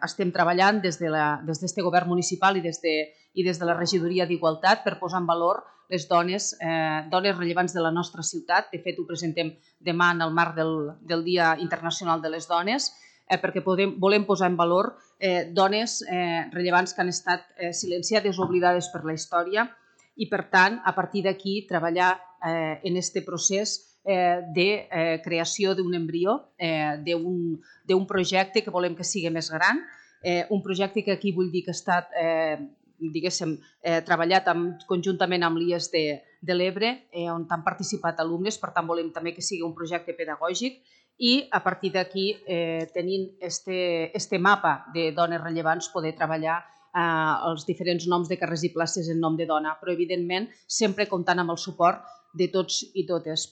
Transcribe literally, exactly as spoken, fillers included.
estem treballant des d'aquest govern municipal i des de, i des de la regidoria d'Igualtat per posar en valor les dones, eh, dones rellevants de la nostra ciutat. De fet, ho presentem demà en el marc del, del Dia Internacional de les Dones, eh, perquè podem, volem posar en valor eh, dones eh, rellevants que han estat eh, silenciades o oblidades per la història i, per tant, a partir d'aquí treballar eh, en aquest procés eh, de eh, creació d'un embrió, eh, d'un projecte que volem que sigui més gran, eh, un projecte que aquí vull dir que ha estat eh, diguéssim, eh, treballat amb, conjuntament amb l'I E S de, de l'Ebre, eh, on han participat alumnes, per tant volem també que sigui un projecte pedagògic i a partir d'aquí, eh, tenint este, este mapa de dones rellevants, poder treballar eh, els diferents noms de carrers i places en nom de dona, però evidentment sempre comptant amb el suport de tots i totes.